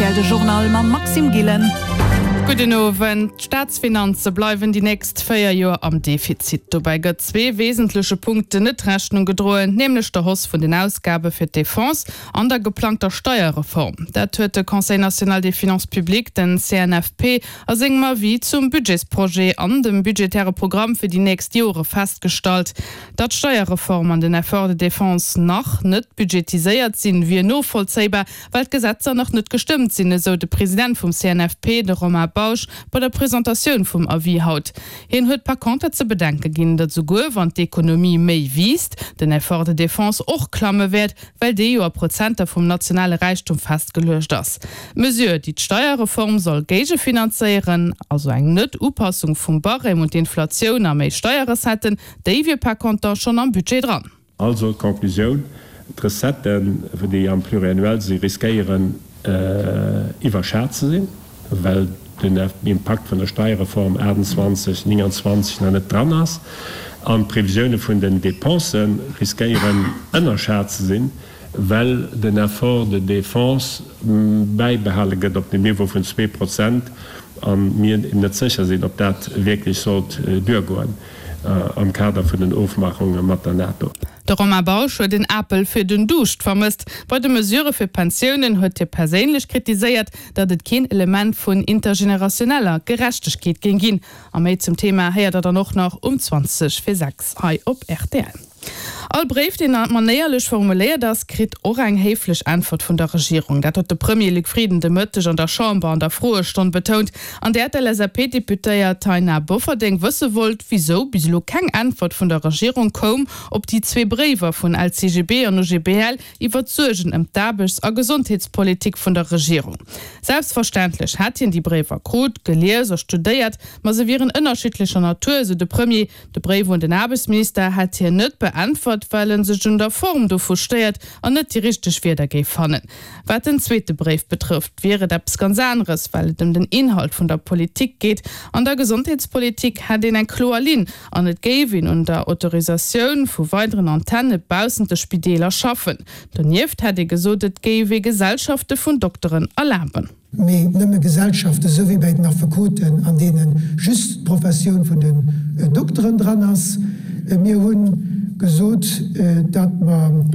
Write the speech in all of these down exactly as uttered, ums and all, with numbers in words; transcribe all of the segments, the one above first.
rtl de Journal mam Maxime Gillen. Gudden Owend. D'Staatsfinanze bleiwen déi nächst véier Joer am Defizit. Dobäi gëtt zwee wesentleche Punkten net Rechnung gedroen, nämlech der Hausse vun den Ausgabe fir d'Defense an der geplangter Steierreform. Dat huet de Conseil national des finances publiques, den CNFP, a sengem Avis zum Budgetsprojet an dem budgetäre Programm fir déi nächst Jore festgestallt. Datt d'Steierreform an den Effort de défense nach net budgetiséiert sinn, wier novollzéibar, well d'Gesetzer nach net gestëmmt sinn, esou de President vum CNFP, de Romain Bausch, bei der Presentatioun vum Avis haut. Hien huet par conter ze bedenke ginn, datt souguer wann d'Ekonomie méi wiisst, den Effort de défense och klamme wäert, well dee jo a Prozenter vum nationale Räichtum festgeluecht ass. D'Mesure, déi d'Steierreform soll géigefinanzéieren, also eng Net-Upassung vum Barème un d'Inflatioun a méi Steierrecetten, déi wier par conter schonn am Budget dran. Also d'Conclusioun, D'Recetten, déi am Pluriannuel sinn, riskéieren iwwerschat ze sinn, well den Impakt vun der Steierreform achtundzwanzeg, neunundzwanzeg nach net dran ass, an d'Previsioune vun den Depensë riskéieren ënnerschat ze sinn, well den Effort de défense bäibehale gëtt op dem Niveau vun zwee Prozent a mir net sécher sinn, ob dat wierklech sollt duergoen am Kader vun den Ofmachunge mat der NATO. De Romain Bausch huet en Apel fir den Duuscht vermësst. Bei de Mesurë fir d'Pensiounen huet hie perséinlech kritiséiert, datt et keen Element vun intergenerationeller Gerechtegkeet géing ginn. A méi zum Thema héiert der dann och nach um zwanzeg vir sechs hei op rtl. All Bréif, deen manéierlech formuléiert ass, kritt och eng héiflech Äntwert vun der Regierung. Dat huet de Premier Luc Frieden de Mëtteg an der Chamber an der Froestonn betount, an där d'LSAP-Deputéiert Taina Bofferding wësse wollt, wisou bis elo keng Äntwert vun der Regierung koum op déi zwee Bréiwer vun L C G B an O G B L iwwer d'Suergen ëm d'Aarbechts a Gesondheetspolitik vun der Regierung. Selbstverständlech hätt hien déi Bréiwer krut, gelies a studéiert, ma se wieren ënnerschiddlecher Natur, esou de Premier. De Bréif un den Aarbechtsminister hätt hien net beäntwert, well en sech un der Form dovu stéiert an net déi richteg Wierder géif fannen. Wat den zweete Bréif betrëfft, wier et eppes ganz aneres, well et ëm den Inhalt vun der Politik geet. An der Gesondheetspolitik hätt een eng kloer Linn an et géif een un der Autorisatioun vu weideren Antenne baussent de Spideeler schaffen. Donieft hätt ee gesot, et géif ee Gesellschafte vun Dokteren erlaben. Mee nëmme Gesellschaften, esou wéi bei den Affekoten, an deene just d'Professioun vun den Dokteren dran ass. Mir hu gesot, datt mer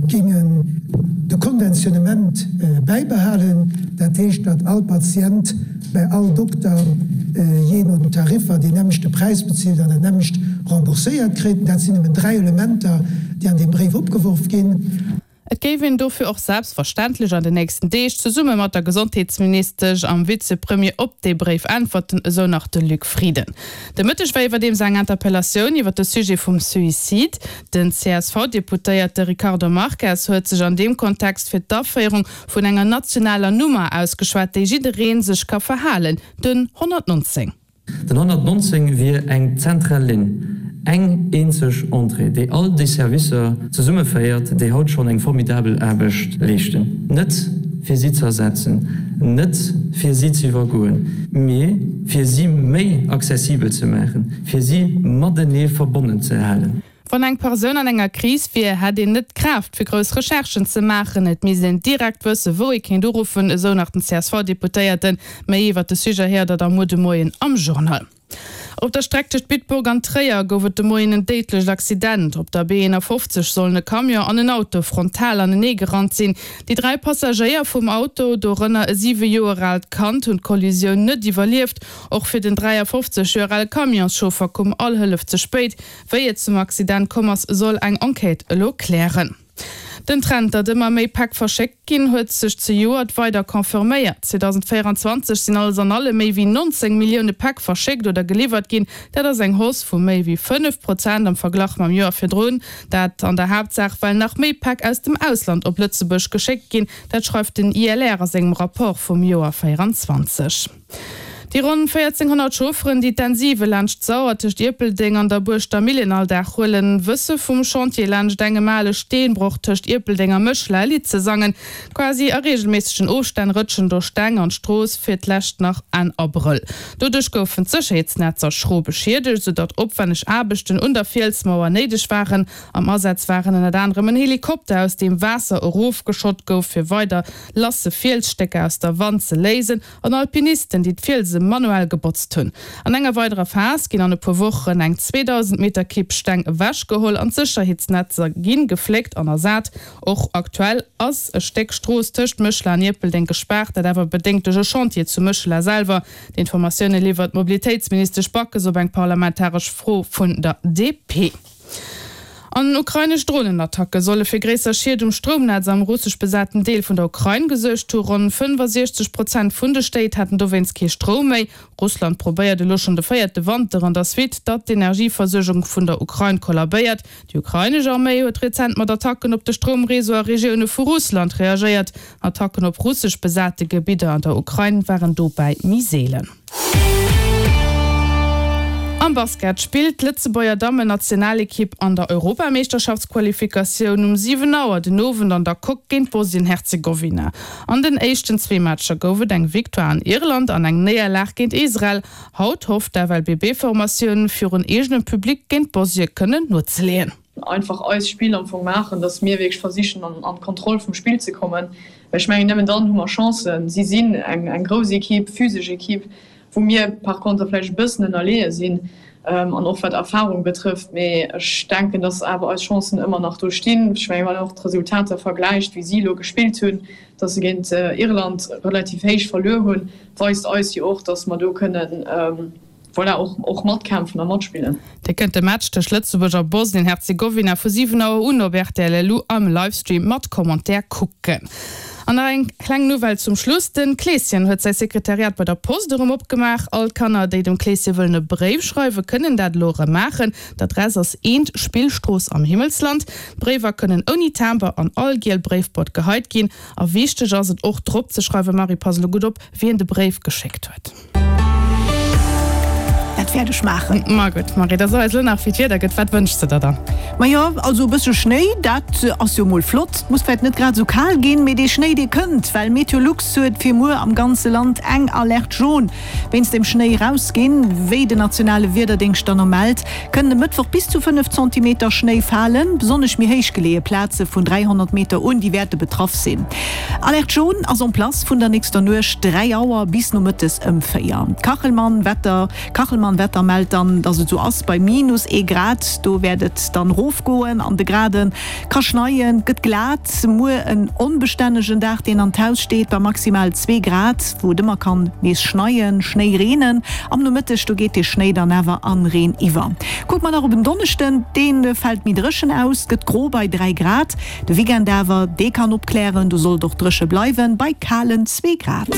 géingen de Konventionnement bäibehalen, dat heescht, datt all Patient bei all Dokter jee no den Tariffer deen nämmlechte Präis bezilt an dat nämmlecht rembourséiert kritt. Dat sinn nëmmen dräi Elementer, déi an deem Bréif opgeworf ginn. Et géif een dofir och selbstverständlech an den nächsten Deeg zesumme mat der Gesondheetsministesch am Vizepremier op dee Bréif äntwerten, esou nach de Luc Frieden. De Mëtteg war iwwerdeems eng Interpellatioun iwwer de Sujet vum Suicide. Den C S V-Deputéierte Ricardo Marques huet sech an deem Kontext fir d'Aféierung vun enger nationaler Nummer ausgeschwat, déi jidderee sech ka verhalen, den honnertnonzéng. Den honnertnonzéng wier eng zentral Linn, eng eenzeg Entrée, déi all déi Servicer zesummeféiert, déi haut schonn eng formidabel Aarbecht leeschten. Net fir si ze ersetzen, net fir si ze iwwergoen, mee fir si méi accessibel ze maachen, fir si matenee verbonnen ze halen. Wann eng Persoun an enger Kris wier, hätt een net d'Kraaft, fir grouss Recherchen ze maachen. Et misst een direkt wëssen, wou ee kéint uruffen, esou nach den C S V-Deputéierten. Méi iwwer de Sujet héiert der da muer de Moien am Journal. Op der Streck tëscht Bitburg an Tréier gouf et de Moien en déidlecht Accident. Op der B eenafofzeg sollen e Camion an en Auto frontal anenee gerannt sinn. Déi dräi Passagéier vum Auto, dorënner e siwe Joer aalt Kand, hunn d'Kollisioun net iwwerlieft. Och fir den dräiafofzeg Joer ale Camionschauffer koum all Hëllef ze spéit. Wéi et zum Accident komm ass, soll eng Enquête elo klären. Den Trend, datt ëmmer méi Päck verschéckt ginn, huet sech zejoert weider confirméiert. zweedausendvéierenzwanzeg sinn alles an allem méi wéi nonzéng Millioune Päck verschéckt oder geliwwert ginn. Dat ass eng Hausse vu méi wéi fënnef Prozent am Verglach mam Joer virdrun. Dat an der Haaptsaach, well nach méi Päck aus dem Ausland op Lëtzebuerg geschéckt ginn. Dat schreift den I L R a sengem Rapport vum Joer véierenzwanzeg. Déi ronn véierzénghonnert Chaufferen, déi d'N siwe laanscht d'Sauer tëscht Ierpeldeng an der Buerschter Millen all Dag huelen, wësse vum Chantier laanscht engem ale Steenbroch tëscht Ierpeldeng a Méchela e Lidd ze sangen. Quasi a reegelméissegen Ofstänn rëtschen do Steng an d'Strooss, fir d'lescht nach Enn Abrëll. Doduerch goufen d'Sécherheetsnetzer schro beschiedegt, soudatt opwänneg Aarbechten un der Fielsmauer néideg waren. Am Asaz waren ënnert anerem en Helikopter, aus deem Waasser erofgeschott gouf, fir weider lasse Fielsstécker aus der Wand ze léisen, an Alpinisten, déi d'Fielse manuell gebotzt hunn. An enger weiderer Phas ginn an e puer Wochen eng zweedausend Meter Kibb Steng ewechgeholl an d'Sécherheetsnetzer gi gefléckt an ersat. Och aktuell ass e Stéck Strooss tëscht Méchela an Ierpeldeng gespaart, dat awer bedéngt duerch e Chantier zu Méchela selwer. D'Informatioune liwwert d'Mobilitéitsministesch Backes op eng parlamentaresch Fro vun der D P. An ukrainesch Dronenattacke solle fir gréisser Schied um Stroumnetz am russesch besaten Deel vun der Ukrain gesuergt hu. Ronn fënnefasiechzeg Prozent vun de Stéit hätten dowéinst kee Stroum méi. Russland probéiert elo schonn de véierte Wanter an der Suite, datt d'Energieversuergung vun der Ukrain kollabéiert. Déi ukrainesch Arméi huet rezent mat Attacken op de Stroumreseau a Regioune vu Russland reagéiert. Attacken op russesch besate Gebidder an der Ukrain waren dobäi méi seelen. Am Basket spillt d'Lëtzebuerger Dammen-Nationalekipp an der Europameeschterschaftsqualifikatioun um siwen Auer den Owend an der Coque géint Bosnien-Herzegowina. An den éischten zwee Matcher gouf et eng Victoire an Irland an eng Néierlag géint Israel. Haut hofft d'F L B B-Formatioun virun eegenem Public géint Bosnie kënnen nozeleeën. Einfach eist Spill am Fong maachen, dass mir wierklech versichen an an d'Kontroll vum Spill ze kommen, well ech mengen nëmmen dann hu mer Chancen. Si sinn eng eng grouss Ekipp, physesch Ekipp, wou mir par contre vläicht e bëssen ënnerleeë sinn an och wat Erfahrung betrëfft. Mee ech denken, dass awer eis Chancen ëmmer nach do stinn. Ech mengen, wann een och d'Resultater vergläicht, wéi si elo gespillt hunn, dass se géint Irland relativ héich verluer hunn, weist eis jo och, dass mer do kënnen voilà, och, och matkämpfen a matspillen. Dir kënnt de Match tëscht Lëtzebuerg a Bosnien-Herzegowina vu siwen Auer un op R T L L U am Livestream mat Commentaire kucken. An nach eng kleng Nouvelle zum Schluss, De Kleeschen huet säi Sekretariat bei der Post erëm opgemaach. All d'Kanner, déi dem Kleesche wëllen e Bréif schreiwen, kënnen dat elo erëm maachen. D'Adress ass eent, Spillstrooss am Himmelsland. D'Bréiwer kënnen ouni Timber an all giel Bréifboîte geheit ginn. A wichteg ass et och drop ze schreiwen, Marie, pass elo gutt op, wien de Bréif geschéckt huet. Dat wäert ech maachen. Ma gutt, Marie, da so eis elo nach, wéi d'Wieder gëtt. Wat wënschs de der dann? Majo, also e bësse Schnéi, dat ass jo mol flott. Muss vläit net grad esou kal ginn, mee dee Schnéi, dee kënnt, well Meteolux huet fir muer am ganze Land eng Alerte jaune wéinst dem Schnéi erausginn. Wéi den nationale Wiederdéngscht dann no mellt, kënnen e Mëttwoch bis zu fënnef Zentimeter Schnéi falen. Besonnesch méi héich geleeë Plaze vun dräihonnert Meter un, déi wäerte betraff sinn. Alerte jaune ass en place vun der nächster Nuecht dräi Auer bis nomëttes ëm véier. D'Kachelmann Wetter Kachelmann Wetter mellt dann, dass et sou ass bei minus ee Grad, do wäert et dann rofgoen an de Graden, ka schneien, gëtt glat. Muer en onbestännegen Dag, deen an d'Haus steet bei maximal zwee Grad, wou et ëmmer kann nees schneien, Schnéi reenen. Am Nomëtteg, do geet de Schnéi dann awer an Reen iwwer. Kucke mer nach op en Donneschden, dee fält méi dréchen aus, gëtt gro bei dräi Grad. De Weekend awer, dee kann opklären, do soll et och dréche bleiwen bei kalen zwee Grad.